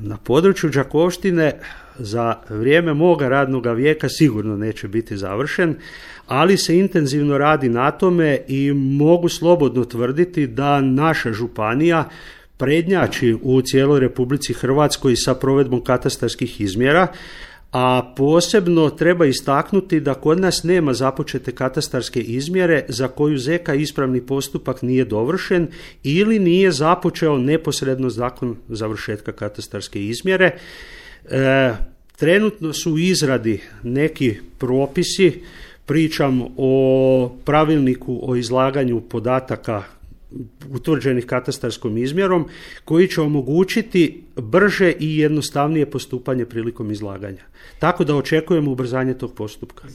Na području Đakovštine za vrijeme moga radnog vijeka sigurno neće biti završen, ali se intenzivno radi na tome i mogu slobodno tvrditi da naša županija prednjači u cijeloj Republici Hrvatskoj sa provedbom katastarskih izmjera, a posebno treba istaknuti da kod nas nema započete katastarske izmjere za koju ZK ispravni postupak nije dovršen ili nije započeo neposredno nakon završetka katastarske izmjere. Trenutno su u izradi neki propisi, pričam o pravilniku o izlaganju podataka utvrđenih katastarskom izmjerom, koji će omogućiti brže i jednostavnije postupanje prilikom izlaganja. Tako da očekujemo ubrzanje tog postupka.